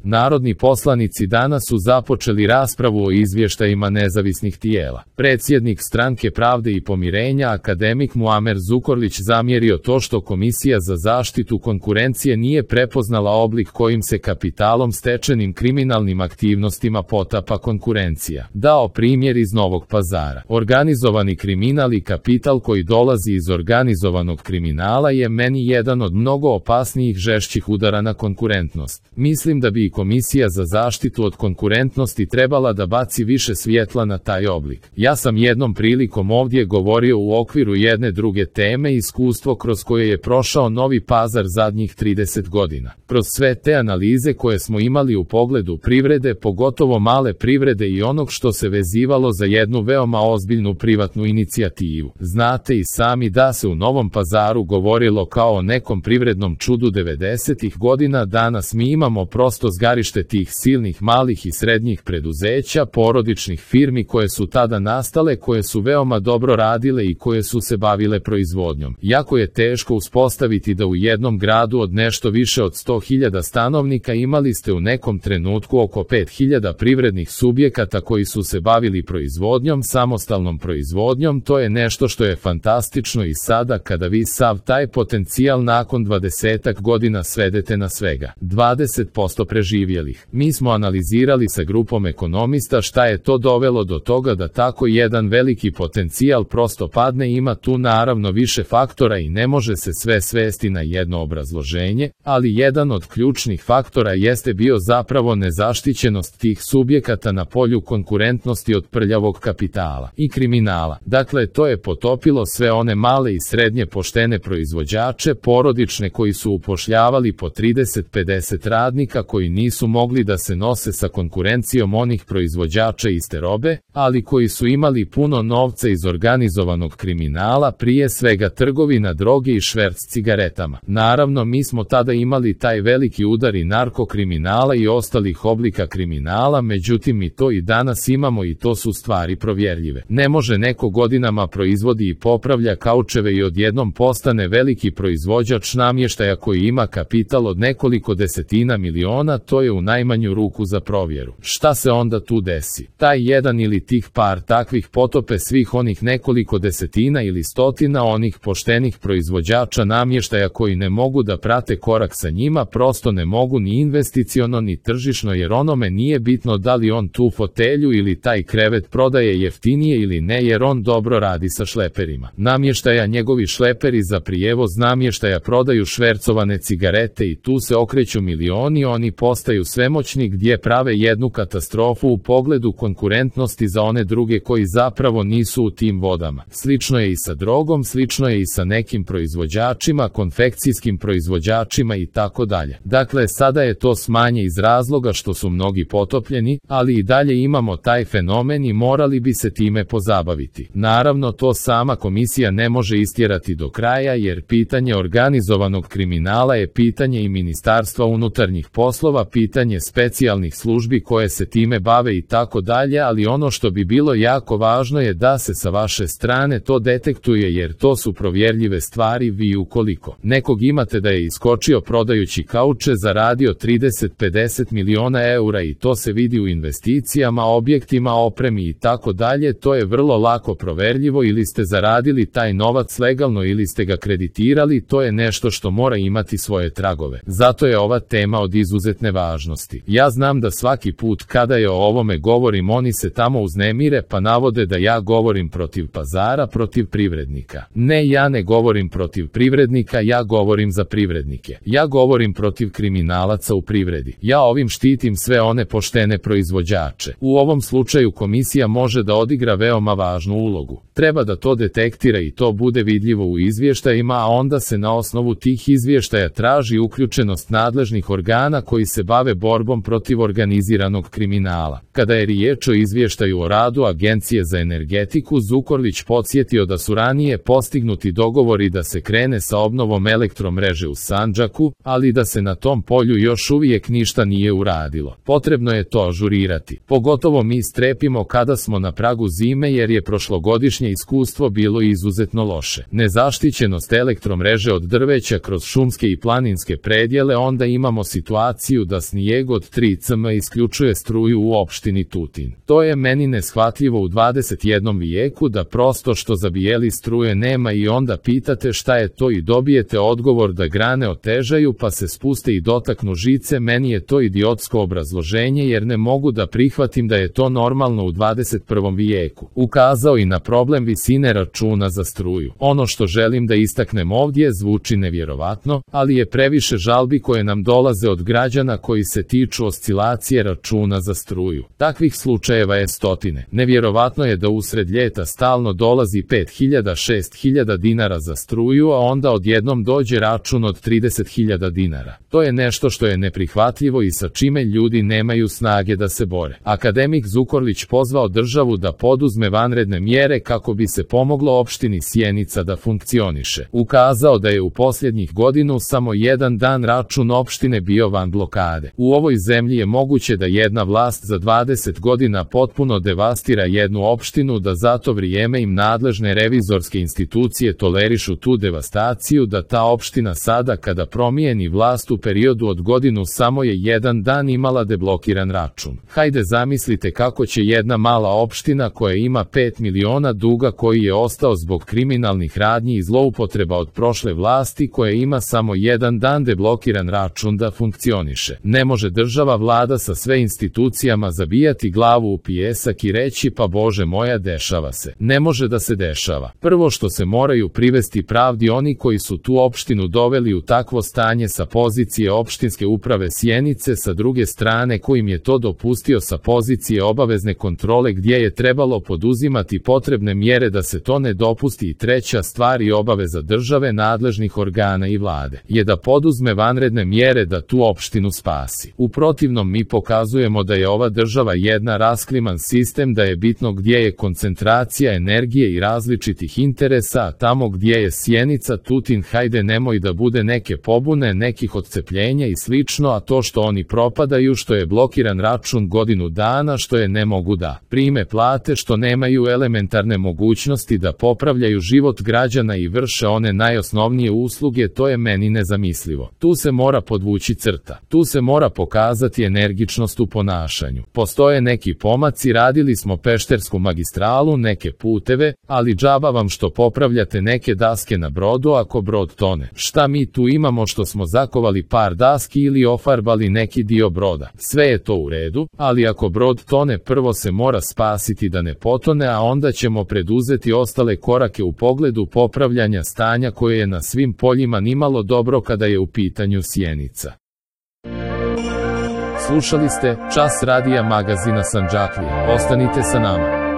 Narodni poslanici danas su započeli raspravu o izvještajima nezavisnih tijela. Predsjednik Stranke pravde i pomirenja akademik Muamer Zukorlić zamjerio to što Komisija za zaštitu konkurencije nije prepoznala oblik kojim se kapitalom stečenim kriminalnim aktivnostima potapa konkurencija. Dao primjer iz Novog Pazara. Organizovani kriminal i kapital koji dolazi iz organizovanog kriminala je meni jedan od mnogo opasnijih žešćih udara na konkurentnost. Mislim da bi Komisija za zaštitu od konkurentnosti trebala da baci više svjetla na taj oblik. Ja sam jednom prilikom ovdje govorio u okviru jedne druge teme iskustvo kroz koje je prošao Novi Pazar zadnjih 30 godina. Kroz sve te analize koje smo imali u pogledu privrede, pogotovo male privrede i onog što se vezivalo za jednu veoma ozbiljnu privatnu inicijativu. Znate i sami da se u Novom Pazaru govorilo kao o nekom privrednom čudu 90-ih godina, danas mi imamo prosto zgarište tih silnih malih i srednjih preduzeća, porodičnih firmi koje su tada nastale, koje su veoma dobro radile i koje su se bavile proizvodnjom. Jako je teško uspostaviti da u jednom gradu od nešto više od 100.000 stanovnika imali ste u nekom trenutku oko 5.000 privrednih subjekata koji su se bavili proizvodnjom, samostalnom proizvodnjom. To je nešto što je fantastično i sada kada vi sav taj potencijal nakon 20-ak godina svedete na svega 20% preživjelih. Mi smo analizirali sa grupom ekonomista šta je to dovelo do toga da tako jedan veliki potencijal prosto padne. Ima tu naravno više faktora i ne može se sve svesti na jedno obrazloženje, ali jedan od ključnih faktora jeste bio zapravo nezaštićenost tih subjekata na polju konkurentnosti od prljavog kapitala i kriminala. Dakle, to je potopilo sve one male i srednje poštene proizvođače, porodične koji su upošljavali po 30-50 radnika koji nisu mogli da se nose sa konkurencijom onih proizvođača iste robe, ali koji su imali puno novca iz organizovanog kriminala, prije svega trgovina droge i šverc cigaretama. Naravno, mi smo tada imali taj veliki udar i narkokriminala i ostalih oblika kriminala, međutim mi to i danas imamo i to su stvari provjerljive. Ne može neko godinama proizvodi i popravlja kaučeve i odjednom postane veliki proizvođač namještaja koji ima kapital od nekoliko desetina miliona, to je u najmanju ruku za provjeru. Šta se onda tu desi? Taj jedan ili tih par takvih potope svih onih nekoliko desetina ili stotina onih poštenih proizvođača namještaja koji ne mogu da prate korak sa njima, prosto ne mogu ni investiciono ni tržišno, jer onome nije bitno da li on tu fotelju ili taj krevet prodaje jeftinije ili ne, jer on dobro radi sa šleperima namještaja. Njegovi šleperi za prijevoz namještaja prodaju švercovane cigarete i tu se okreću milioni, oni postaju svemoćni gdje prave jednu katastrofu u pogledu konkurentnosti za one druge koji zapravo nisu u tim vodama. Slično je i sa drogom, slično je i sa nekim proizvođačima, konfekcijskim proizvođačima i tako dalje. Dakle, sada je to smanje iz razloga što su mnogi potopljeni, ali i dalje imamo taj fenomen i morali bi se time pozabaviti. Naravno, to sama komisija ne može istjerati do kraja, jer pitanje organizovanog kriminala je pitanje i Ministarstva unutarnjih poslova, pitanje specijalnih službi koje se time bave i tako dalje, ali ono što bi bilo jako važno je da se sa vaše strane to detektuje, jer to su provjerljive stvari. Vi ukoliko nekog imate da je iskočio prodajući kauče, zaradio 30-50 miliona eura i to se vidi u investicijama, objektima, opremi i tako dalje, to je vrlo lako proverljivo. Ili ste zaradili taj novac legalno ili ste ga kreditirali, to je nešto što mora imati svoje tragove. Zato je ova tema od izuzetne važnosti. Ja znam da svaki put kada je o ovome govorim, oni se tamo uznemire pa navode da ja govorim protiv pazara, protiv privrednika. Ne, ja ne govorim protiv privrednika, ja govorim za privrednike. Ja govorim protiv kriminalaca u privredi. Ja ovim štitim sve one poštene proizvođače. U ovom slučaju komisija može da odigra veoma važnu ulogu. Treba da to detektira i to bude vidljivo u izvještajima, a onda se na osnovu tih izvještaja traži uključenost nadležnih organa koji se bave borbom protiv organiziranog kriminala. Kada je riječ o izvještaju o radu Agencije za energetiku, Zukorlić podsjetio da su ranije postignuti dogovori da se krene sa obnovom elektromreže u Sandžaku, ali da se na tom polju još uvijek ništa nije uradilo. Potrebno je to ažurirati. Pogotovo mi strepimo kada smo na pragu zime, jer je prošlogodišnje dosadašnje iskustvo bilo izuzetno loše. Nezaštićenost elektromreže od drveća kroz šumske i planinske predjele, onda imamo situaciju da snijeg od 3 cm isključuje struju u opštini Tutin. To je meni neshvatljivo u 21. vijeku, da prosto što zabijeli struje nema i onda pitate šta je to i dobijete odgovor da grane otežaju pa se spuste i dotaknu žice. Meni je to idiotsko obrazloženje jer ne mogu da prihvatim da je to normalno u 21. vijeku. Ukazao i na problem visine računa za struju. Ono što želim da istaknem ovdje zvuči nevjerovatno, ali je previše žalbi koje nam dolaze od građana koji se tiču oscilacije računa za struju. Takvih slučajeva je stotine. Nevjerovatno je da usred ljeta stalno dolazi 5.000-6.000 dinara za struju, a onda odjednom dođe račun od 30.000 dinara. To je nešto što je neprihvatljivo i sa čime ljudi nemaju snage da se bore. Akademik Zukorlić pozvao državu da poduzme vanredne mjere kako bi se pomoglo opštini Sjenica da funkcioniše. Ukazao da je u posljednjih godinu samo jedan dan račun opštine bio van blokade. U ovoj zemlji je moguće da jedna vlast za 20 godina potpuno devastira jednu opštinu, da za to vrijeme im nadležne revizorske institucije tolerišu tu devastaciju, da ta opština sada kada promijeni vlast u periodu od godinu samo je jedan dan imala deblokiran račun. Hajde zamislite kako će jedna mala opština koja ima 5 miliona duga koji je ostao zbog kriminalnih radnji i zloupotreba od prošle vlasti, koja ima samo jedan dan deblokiran račun da funkcioniše. Ne može država, vlada sa sve institucijama zabijati glavu u pijesak i reći pa Bože moja dešava se. Ne može da se dešava. Prvo što se moraju privesti pravdi oni koji su tu opštinu doveli u takvo stanje sa pozicije opštinske uprave Sjenice, sa druge strane kojim je to dopustio sa pozicije obavezne kontrole gdje je trebalo poduzimati potrebne mjere da se to ne dopusti. I treća stvar i obaveza države, nadležnih organa i vlade je da poduzme vanredne mjere da tu opštinu spasi. U protivnom mi pokazujemo da je ova država jedna raskliman sistem, da je bitno gdje je koncentracija energije i različitih interesa, a tamo gdje je Sjenica, Tutin, hajde nemoj da bude neke pobune, nekih odcepljenja i slično, a to što oni propadaju, što je blokiran račun godinu dana, što je ne mogu da prime plate, što nemaju elementarne mogućnosti da popravljaju život građana i vrše one najosnovnije usluge, to je meni nezamislivo. Tu se mora podvući crta. Tu se mora pokazati energičnost u ponašanju. Postoje neki pomaci, radili smo Peštersku magistralu, neke puteve, ali džaba vam što popravljate neke daske na brodu ako brod tone. Šta mi tu imamo što smo zakovali par daski ili ofarbali neki dio broda? Sve je to u redu, ali ako brod tone prvo se mora spasiti da ne potone, a onda ćemo preduzeti ostale korake u pogledu popravljanja stanja koje je na svim poljima nimalo dobro kada je u pitanju Sjenica. Slušali ste Čas radija magazina Sandžaklije. Ostanite sa nama.